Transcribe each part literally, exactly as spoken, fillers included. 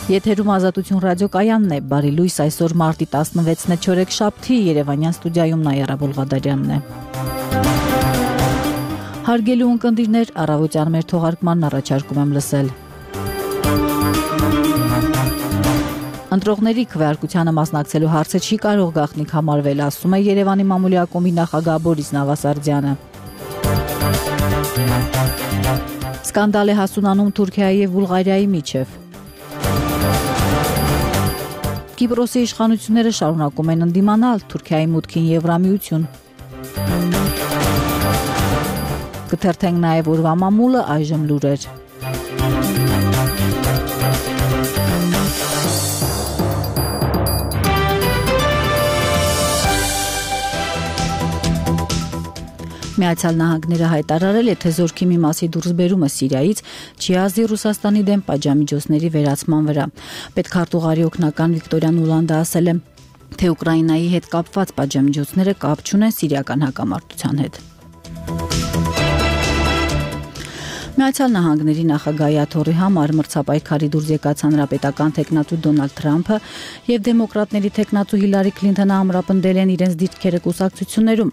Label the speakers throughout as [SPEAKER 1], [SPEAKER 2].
[SPEAKER 1] Եթերում Ազատություն ռադիոկայանն է, բարի լույս, այսօր մարտի տասնվեցն է չորեքշաբթի, Երևանյան ստուդիայում Նայարա Բոլղադարյանն է։ Հարգելի ունկնդիրներ, առավոտյան մեր թողարկմանն առաջարկում եմ լսել։ Ընտրողների քվեարկությանը մասնակցելու հարցը չի կարող գաղտնիք համարվել, ասում է Երևանի մամուլի ակումբի նախագահ Բորիս Նավասարդյանը։ Սկանդալ է հասունանում Թուրքիայի և Բուլղարիայի միջև։ Կիպրոսի իշխանությունները շարունակում են ընդդիմանալ Թուրքիայի մուտքին Եվրամիություն։ Կթերթենք նաև օրվա մամուլը, այժմ լուրեր։ Միացյալ Նահանգները հայտարարել է, թե զորքի մի մասի դուրսբերումը Սիրիայից չի ազդի Ռուսաստանի դեմ պատժամիջոցների վերացման վրա։ Պետքարտուղարի օգնական Վիկտորիա Նուլանդը ասել է, թե Ուկրաինայի հետ կապված պատժամիջոցները կապ չունեն սիրիական հակամարտության հետ։ Միացյալ Նահանգների նախագահի աթոռի համար մրցապայքարի դուրս եկած հանրապետական թեկնածու Դոնալդ Թրամփը եւ դեմոկրատների թեկնածու Հիլարի Քլինթոնը ամրապնդել են իրենց դիրքերը կուսակցություններում,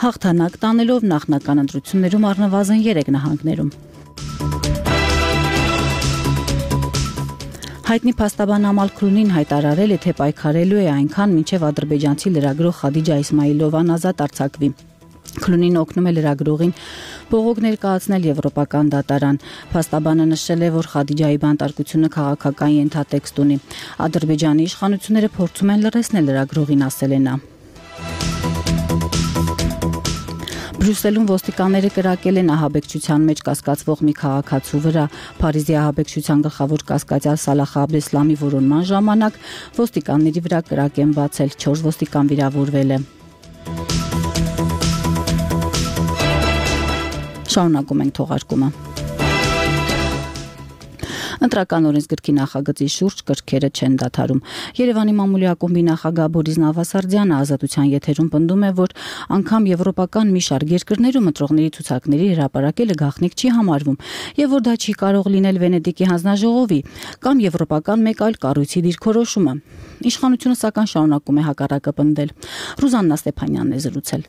[SPEAKER 1] հաղթանակ տանելով նախնական ընտրություններում առնվազն երեք նահանգներում։ Հայտնի փաստաբան Ամալ Քրունին հայտարարել է, թե պայքարելու է այնքան, մինչև ադրբեջանցի լրագրող Խադիջա Իսմայիլովան ազատ արձակվի։ Քլունին օգնում է լրագրողին բողոք ներկայացնել եվրոպական դատարան։ Փաստաբանը նշել է, որ Խադիջայի բանտարկությունը քաղաքական ենթատեքստ ունի։ Ադրբեջանի իշխանությունները փորձում են լրացնել լրագրողին, ասել է նա։ Բրյուսելում ոստիկանները կրակել են ահաբեկչության մեջ կասկածվող մի քաղաքացու վրա։ Փարիզի ահաբեկչության գլխավոր կասկածյալ Սալախ Աբդեսլամի որոնման ժամանակ ոստիկանների վրա կրակ են բացել, չորս ոստիկան վիրավորվել է։ Շարունակում ենք թողարկումը։ Ընտրական օրենսգրքի նախագծի շուրջ կրքերը չեն դադարում։ Երևանի մամուլի ակումբի նախագահ Բորիս Նավասարդյանը Ազատության եթերում պնդում է, որ անգամ եվրոպական մի շարք երկրներում ընտրողների ցուցակների հրապարակելը գաղտնիք չի համարվում եւ որ դա չի կարող լինել Վենետիկի հանձնաժողովի կամ եվրոպական մեկ այլ կառույցի դիրքորոշումը։ Իշխանությունը սակայն շարունակում է հակառակը պնդել։ Ռուզաննա Ստեփանյանն է զրուցել։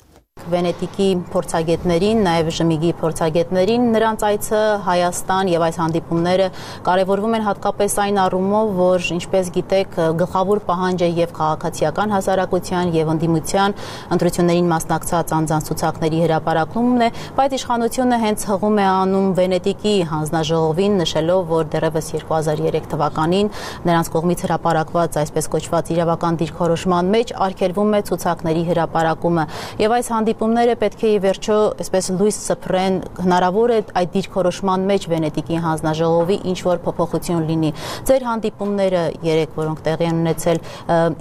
[SPEAKER 2] Վենետիկի փորձագետներին, նաև Ժմիգի փորձագետներին, նրանց այցը Հայաստան եւ այս հանդիպումները կարևորվում են հատկապես այն առումով, որ ինչպես գիտեք, գլխավոր պահանջը եւ քաղաքացիական հասարակության եւ ընդդիմության ընտրություններին մասնակցած անձանց ցուցակների հրապարակումն է, բայց իշխանությունը հենց հղում է անում Վենետիկի հանձնաժողովին, նշելով, որ դեռևս երկու հազար երեք թվականին նրանց կողմից հրապարակված այսպես կոչված իրավական դիրքորոշման մեջ արգելվում է ցուցակների հրապարակումը եւ այս հանդիպումները պետք է ի վերջո այսպես լույս սփռեն, հնարավոր է այդ դիրքորոշման մեջ Վենետիկի հանձնաժողովի ինչ որ փոփոխություն լինի։ Ձեր հանդիպումները երեք, որոնք տեղի են ունեցել,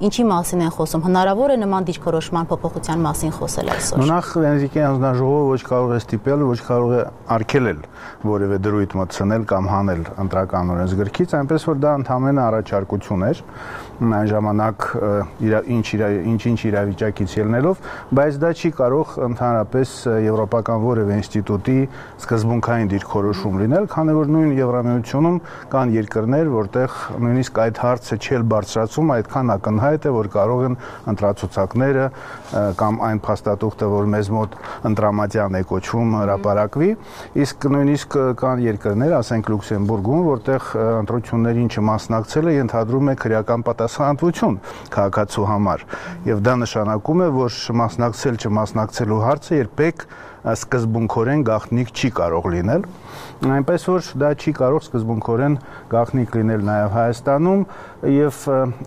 [SPEAKER 2] ինչի մասին են խոսում, հնարավոր է նման դիրքորոշման փոփոխության մասին խոսել այսօր։
[SPEAKER 3] Նախ Վենետիկի հանձնաժողովը ոչ կարող է ստիպել, ոչ կարող է արգելել որևէ դրույթ մտցնել կամ հանել ընտրական օրենսգրքից, այնպես որ դա ընդհանրապես առաջարկություն էր այն ժամանակ ինչ-ինչ իրավիճակից ելնելով, բայց դա չի կարող ընդհանրապես եվրոպական որևէ ինստիտուտի սկզբունքային դիրքորոշում լինել, քանի որ նույն Եվրամիությունում կան երկրներ, որտեղ նույնիսկ այդ հարցը չել բարձրացում, այդքան ակնհայտ է, որ կարող են ընտրացուցակները կամ այն փաստաթուղթը, որ մեզ մոտ ընտրամատյան է կոչվում, հրապարակվի, իսկ նույնիսկ կան երկրներ, ասենք Լյուքսեմբուրգում, որտեղ ընտրություններին չմասնակցելը ենթադրում է քրեական պատասխանատվություն քաղաքացու համար, եւ դա նշանակում է, որ մասնակցել չմասնակցելու հարցը երբեք սկզբունքորեն գաղտնիք չի կարող լինել, այնպես որ դա չի կարող սկզբունքորեն գաղտնիք լինել նաև Հայաստանում եւ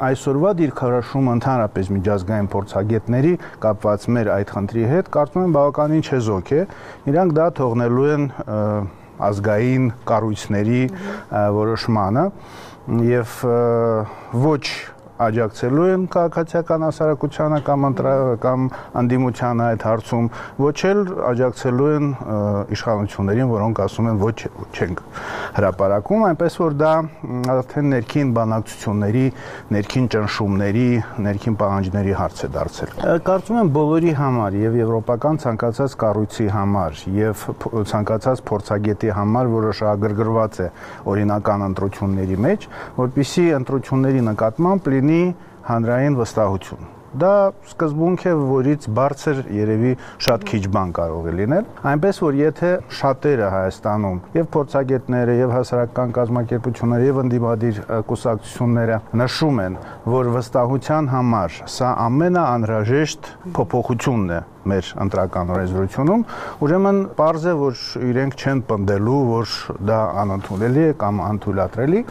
[SPEAKER 3] այսօրվա դիրքորոշումը ընդհանրապես միջազգային փորձագետների կապված մեր այդ խնդրի հետ կարծում եմ բավականին չեզոք է, իրանք դա թողնելու են ազգային կառույցների որոշմանը եւ ոչ աջակցելու են քաղաքացիական հասարակությանը կամ կամ անդիմությանը այդ հարցում, ոչ էլ աջակցելու են իշխանություններին, որոնք ասում են ոչ չենք հրապարակում, այնպես որ դա արդեն ներքին բանակցությունների, ներքին ճնշումների, ներքին պահանջների հարց է դարձել։ Կարծում եմ բոլորի համար եւ եվրոպական ցանկացած կառույցի համար եւ ցանկացած փորձագետի համար, որը շահագրգռված է օրինական ընտրությունների մեջ, որպեսզի ընտրությունների նկատմամբ լինի հանրային վստահություն։ Դա սկզբունք է, որից բարձր երևի շատ քիչ բան կարող է լինել, այնպես որ եթե շատերը Հայաստանում եւ փորձագետները եւ հասարակական կազմակերպությունները եւ ընդդիմադիր կուսակցությունները նշում են, որ վստահության համար սա ամենաանհրաժեշտ փոփոխությունն է մեր ընտրական օրենսդրությունում, ուրեմն պարզ է, որ իրենք չեն պնդելու, որ դա անընդունելի է կամ անթույլատրելի։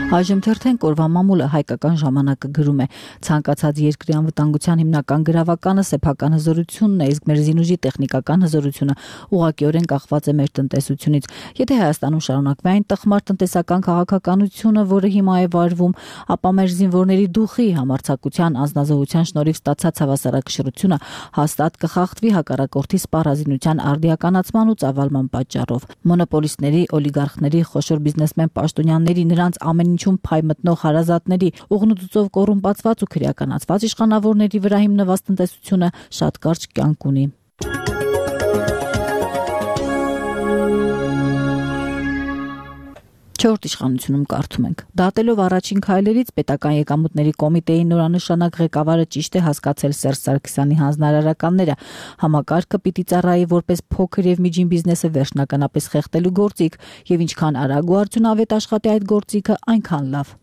[SPEAKER 1] Այժմ թերթեն կորվա մամուլը հայկական ժամանակը գրում է. ցանկացած երկրի անվտանգության հիմնական գրավականը սեփական հզորությունն է, իսկ մեր զինուժի տեխնիկական հզորությունը ուղղակիորեն կախված է մեր տնտեսությունից։ Եթե Հայաստանում շարունակվի այն տխմար տնտեսական քաղաքականությունը, որը հիմա է վարվում, ապա մեր զինվորների դուխի, համարձակության, անձնազոհության շնորհիվ ստացած հավասարակշռությունը հաստատ կխախտվի հակառակորդի սպառազինության արդիականացման ու ծավալման պատճառով։ Մոնոպոլիստների, օլիգարխների, խոշոր բիզնեսմեն պաշտոնյաների, նրանց ամեն ինչում փայ մտնող հարազատների, ուղնուծուցով կոռումպացված ու քրեականացված իշխանավորների վրա հիմնված տնտեսությունը շատ կարճ կյանք ունի։ Չորրորդ իշխանությունում կարդում ենք. Դատելով առաջին քայլերից պետական եկամուտների կոմիտեի նորանշանակ ղեկավարը ճիշտ է հասկացել Սերժ Սարգսյանի հանձնարարականները։ Համակարգը պիտի ծառայի որպես փոքր եւ միջին բիզնեսը վերջնականապես խեղդելու գործիք, եւ ինչքան արագ ու արդյունավետ աշխատի այդ գործիքը, այնքան լավ։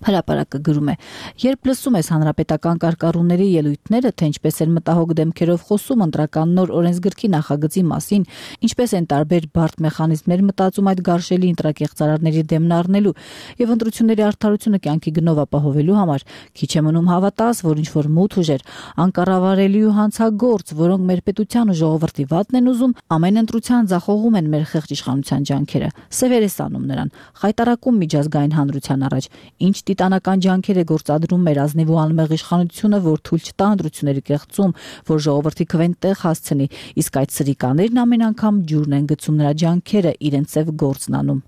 [SPEAKER 1] Հրապարակը գրում է. երբ լսում ես հանրապետական կարգառուների ելույթները, թե ինչպես են մտահոգ դեմքերով խոսում ընտրական նոր օրենսգրքի նախագծի մասին, ինչպես են տարբեր բարդ մեխանիզմներ մտածում այդ գարշելի ընտրակեղծարարների դեմն առնելու եւ ընտրությունների արդարությունը կյանքի գնով ապահովելու համար, քիչ է մնում հավատաս, որ ինչ որ մութ ուժեր, անկառավարելի ու հանցագործ, որոնք մեր պետության ու ժողովրդի վատն են ուզում, ամեն ընտրության ձախողում են մեր խեղճ իշխանության ջանքերը։ Սևեր է սանում նրան, խայտարակում միջազգային հանրության առաջ, ինչ տիտանական ջանքեր է գործադրում մեր ազնիվ ու անմեղ իշխանությունը, որ թույլ չտա ընտրությունների կեղծում, որ ժողովրդի քվեն տեղ հասցնի, իսկ այդ սրիկաներն ամեն անգամ ջուրն են գցում նրա ջանքերը իրենց ծև գործն անում։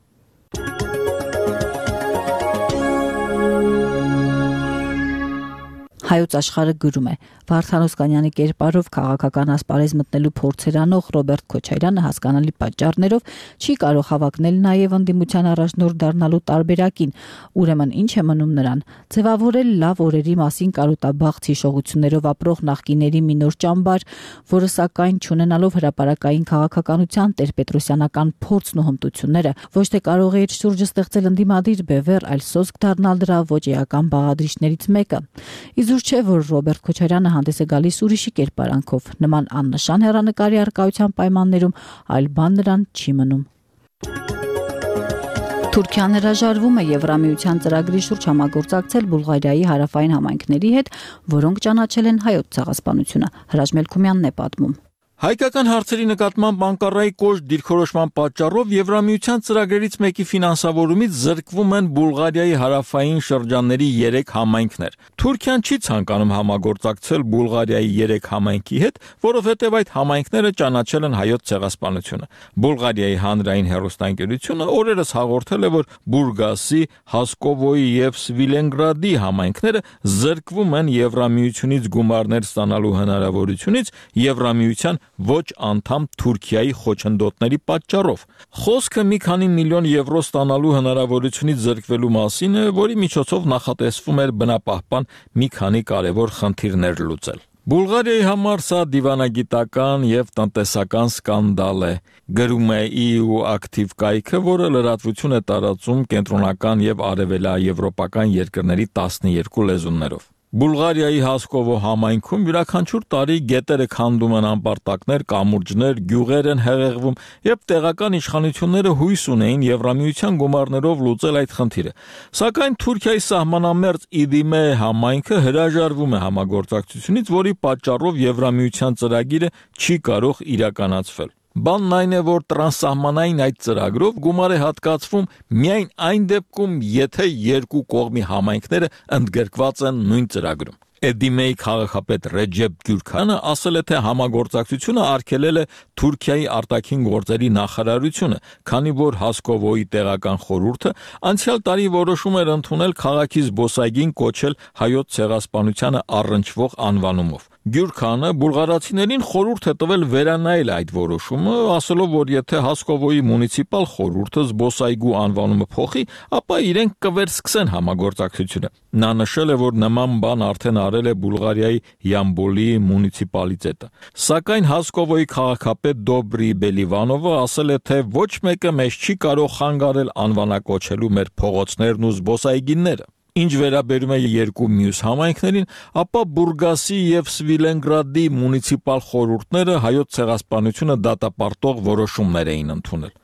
[SPEAKER 1] Հայոց աշխարհը գրում է. Վարդան Օսկանյանի կերպարով քաղաքական ասպարեզ մտնելու փորձեր անող Ռոբերտ Քոչարյանը հասկանալի պատճառներով չի կարող հավակնել նաև ընդդիմության առաջնորդ դառնալու տարբերակին, ուրեմն ինչ է մնում նրան, ձևավորել լավ օրերի մասին կարոտաբաղց հիշողություններով ապրող նախկիների մի նոր ճամբար, որը սակայն չունենալով հրապարակային քաղաքականության տերպետրոսյանական փորձն ու հմտությունները, ոչ թե կարող է իր շուրջը ստեղծել ընդդիմադիր բևեռ, այլ սոսկ դառնալ դրա ոչ էական բաղադրիչներից մեկը։ Իզուր չէ, որ Ռոբերտ Քոչարյանը հանդես է գալիս ուրիշի կերպարանքով, նման աննշան հեռանկարի առկայության պայմաններում, այլ բան նրան չի մնում։ Թուրքիան հրաժարվում է Եվրամիության ծրագրի շուրջ համագործակցել Բուլղարիայի հարավային համայնքների հետ, որոնք ճանաչել են հայոց ցեղասպանությունը։ Հրաչ Մելքումյանն է պատմում։
[SPEAKER 4] Հայկական հարցերի նկատմամբ Անկարայի կոշտ դիրքորոշման պատճառով Եվրամիության ծրագրերից մեկի ֆինանսավորումից զրկվում են Բուլղարիայի հարավային շրջանների երեք համայնքներ։ Թուրքիան չի ցանկանում համագործակցել Բուլղարիայի երեք համայնքի հետ, որովհետև այդ համայնքները ճանաչել են հայոց ցեղասպանությունը։ Բուլղարիայի հանրային հեռուստաընկերությունը օրերս հաղորդել է, որ Բուրգասի, Հասկովոյի եւ Սվիլենգրադի համայնքները զրկվում են Եվրամիությունից գումարներ ստանալու հնարավորությունից Եվրամիության ոչ անդամ Թուրքիայի խոչընդոտների պատճառով։ Խոսքը մի քանի միլիոն եվրո ստանալու հնարավորությունից զրկվելու մասին է, որի միջոցով նախատեսվում էր բնապահպան մի քանի կարևոր խնդիրներ լուծել։ Բուլղարիայի համար սա դիվանագիտական եւ տնտեսական սկանդալ է, գրում է ի յու ակտիվ կայքը, որը լրատվություն է տարածում կենտրոնական եւ արևելաեվրոպական երկրների տասնյոթ լեզուներով։ Բուլղարիայի Հասկովո համայնքում յուրաքանչյուր տարի գետերը քանդում են անպարտակներ, կամուրջներ, գյուղեր են հեղեղվում, եւ տեղական իշխանությունները հույս ունեին Եվրամիության գումարներով լուծել այդ խնդիրը։ Սակայն Թուրքիայի սահմանամերձ Իդիմե համայնքը հրաժարվում է համագործակցությունից, որի պատճառով Եվրամիության ծրագիրը չի կարող իրականացվել։ Բանն այն է, որ տրանսսահմանային այդ ծրագրով գումար է հատկացվում միայն այն դեպքում, եթե երկու կողմի համայնքները ընդգրկված են նույն ծրագրում։ Էդիմեի քաղաքապետ Ռեջեփ Գյուրքանը ասել է, թե համագործակցությունը արգելել է Թուրքիայի արտաքին գործերի նախարարությունը, քանի որ Հասկովոյի տեղական խորհուրդը անցյալ տարի որոշում էր ընդունել քաղաքի զբոսայգին կոչել հայոց ցեղասպանությանը առնչվող անվանումով։ Գյուրքանը բուլղարացիներին խորհուրդ է տվել վերանայել այդ որոշումը, ասելով, որ եթե Հասկովոյի մունիցիպալ խորհուրդը զբոսայգու անվանումը փոխի, ապա իրենք կվերսկսեն համագործակցությունը։ Նա նշել է, որ նման բան արդեն արել է Բուլղարիայի Յամբոլի մունիցիպալիտետը։ Սակայն Հասկովոյի քաղաքապետ Դոբրի Բելիվանովը ասել է, թե ոչ մեկը մեզ չի կարող խանգարել անվանակոչելու մեր փողոցներն ու զբոսայգիները։ Ինչ վերաբերում է երկու մյուս համայնքներին, ապա Բուրգասի եւ Սվիլենգրադի մունիցիպալ խորհուրդները հայոց ցեղասպանությունը դատապարտող որոշումներ էին ընդունել։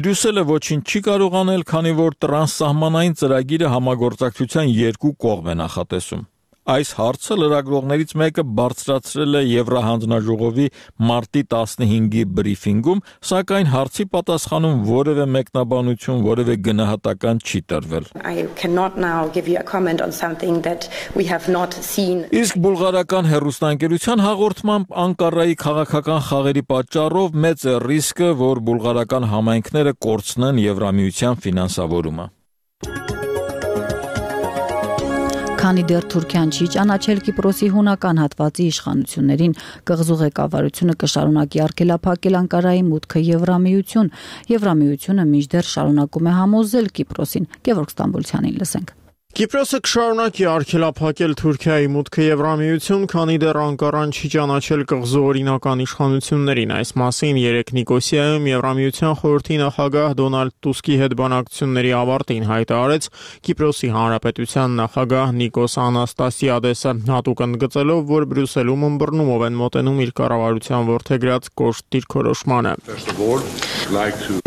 [SPEAKER 4] Բրյուսելը ոչինչ չի կարող անել, քանի որ տրանսսահմանային ծրագիրը համագործակցության երկու կողմ է նախատեսում։ Այս հարցը լրագրողներից մեկը բարձրացրել է Եվրահանձնաժողովի մարտի տասնհինգի բրիֆինգում, սակայն հարցի պատասխանում որևէ մեկնաբանություն, որևէ գնահատական չի տրվել։
[SPEAKER 5] I cannot now give you a comment on something that we have not seen.
[SPEAKER 4] Իսկ բուլղարական հեռուստաընկերության հաղորդմամբ Անկարայի քաղաքական խաղերի պատճառով մեծ է ռիսկը, որ բուլղարական համայնքները կորցնեն Եվրամիության ֆինանսավորումը։
[SPEAKER 1] Քանի դեռ Թուրքիան չի ճանաչել Կիպրոսի հունական հատվածի իշխանություններին, կղզու ղեկավարությունը կշարունակի արգելափակել Անկարայի մուտքը Եվրամիություն։ Եվրամիությունը մինչդեռ շարունակում է համոզել Կիպրոսին։ Գևորգ Ստամբոլցյանին լսենք։
[SPEAKER 6] Կիպրոսը կշարունակի արգելափակել Թուրքիայի մուտքը Եվրամիություն, քանի դեռ Անկարան չի ճանաչել կղզու օրինական իշխանություններին։ Այս մասին երեկ Նիկոսիայում Եվրամիության խորհրդի նախագահ Դոնալդ Տուսկի հետ բանակցությունների ավարտին հայտարարեց Կիպրոսի հանրապետության նախագահ Նիկոս Անաստասիադեսը, հատուկ ընդգծելով, որ Բրյուսելում ըմբռնումով են մոտենում իր կառավարության որդեգրած կոշտ դիրքորոշմանը։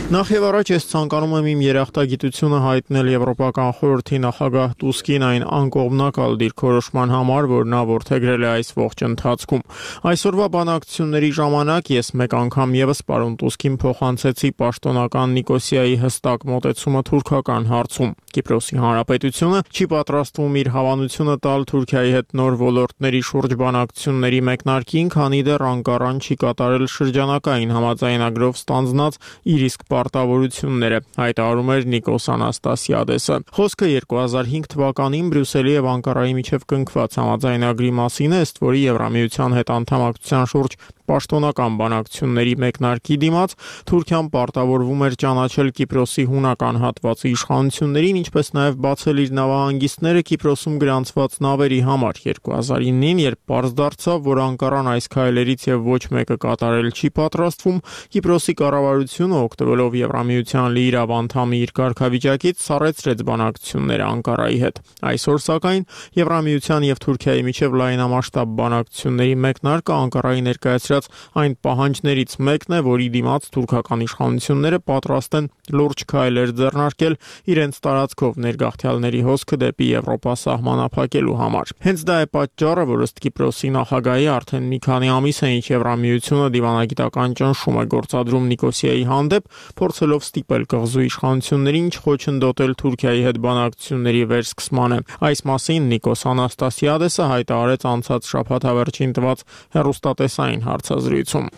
[SPEAKER 6] Նախ եւ առաջ ես ցանկանում եմ իմ երախտագիտությունը հայտնել Եվրոպական խորհրդի նախագահ Տուսկին այն անկողմնակալ դիրքորոշման համար, որ նա որդեգրել է այս ողջ ընթացքում։ Այսօրվա բանակցությունների ժամանակ ես մեկ անգամ եւս պարոն Տուսկին փոխանցեցի պաշտոնական Նիկոսիայի հստակ մոտեցումը թուրքական հարցում։ Կիպրոսի հանրապետությունը չի պատրաստվում իր հավանությունը տալ Թուրքիայի հետ նոր ոլորտների շուրջ բանակցությունների մեկնարկին, քանի դեռ Անկարան չի կատարել շրջանակային համաձայնագրով ստանձնած իր իսկ պարտավորությունները, հայտարարում էր Նիկոս Անաստասիադեսը։ Խոսքը երկու հազար հինգ թվականին Բրյուսելի եւ Անկարայի միջև կնքված համաձայնագրի մասին է, ըստ որի Եվրամիության հետ անդամակցության շուրջ պաշտոնական բանակցությունների մեկնարկի դիմաց Թուրքիան պարտավորվում էր ճանաչել Կիպրոսի հունական հատվածի իշխանություններին, ինչպես նաև բացել իր նավահանգիստները Կիպրոսում գրանցված նավերի համար։ երկու հազար իննին, երբ պարզ դարձավ, որ Անկարան այս քայլերից եւ ոչ մեկը կատարել չի պատրաստվում, Կիպրոսի կառավարությունը, օգտվելով Եվրամիության լիիրավ անդամի իր կարգավիճակից, սառեցրեց բանակցությունները Անկարայի հետ։ Այսօր, սակայն, Եվրամիության եւ Թուրքիայի միջև լայնամասշտաբ բանակցությունների մեկնարկը Անկարայի ներկայացրած այն պահանջներից մեկն է, որի դիմաց թուրքական իշխանությունները պատրաստ են լուրջ քայլեր ձեռնարկել իրենց տարածքով ներգաղթյալների հոսքը դեպի Եվրոպա սահմանափակելու համար։ Հենց դա է պատճառը, որ ըստ Կիպրոսի նախագահի արդեն մի քանի ամիս է ինչ Եվրամիությունը դիվանագիտական ճնշում է գործադրում Նիկոսիայի հանդեպ, փորձելով ստիպել կղզու իշխանություններին չխոչընդոտել Թուրքիայի հետ բանակցությունների վերսկսմանը։ Այս մասին Նիկոս Անաստասիադեսը հայտարարեց անցած շաբաթավերջին տված հեռուստատեսային հարցազրույցում։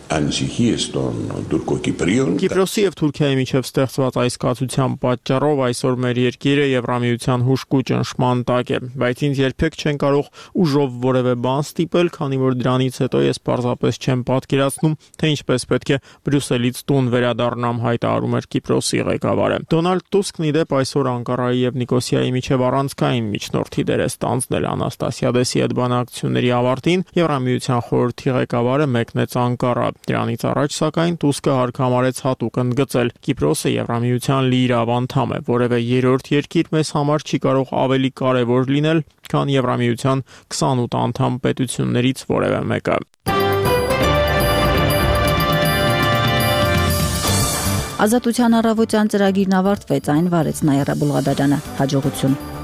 [SPEAKER 6] Կիպրոսի եւ Թուրքիայի միջև ստեղծված այս կացության պատճառով այսօր մեր երկիրը Եվրամիության հուժկու ճնշման տակ է, բայց ինձ երբեք չեն կարող ուժով որևէ բան ստիպել, քանի որ դրանից հետո ես պարզապես չեմ պատկերացնում, թե ինչպես պետք է Բրյուսելից տուն վերադառնամ, հայտարարում էր Կիպրոսի ղեկավարը։ Դոնալդ Տուսկն ի դեպ այսօր Անկարայի եւ Նիկոսիայի միջև առանցքային միջնորդի դեր է ստանձնել Անաստասիադեսի հետ բանակցությունների ավարտին։ Եվրամիության խորհրդի ղեկավարը մեկնեց Անկարա։ Դրանից առաջ, սակայն, Տուսկը հարկ համարեց հատուկ ընդգծել. Կիպրոսը Եվրամիության լիիրավ անդամ է, որևէ երրորդ երկիր մեզ համար չի կարող ավելի կարևոր լինել, քան Եվրամիության քսանութ անդամ պետություններից որևէ մեկը։
[SPEAKER 1] Ազատության առավոտյան ծրագիրն ավարտվեց, այն վարեց Նայիրա Բուլղադարյանը։ Հաջողություն։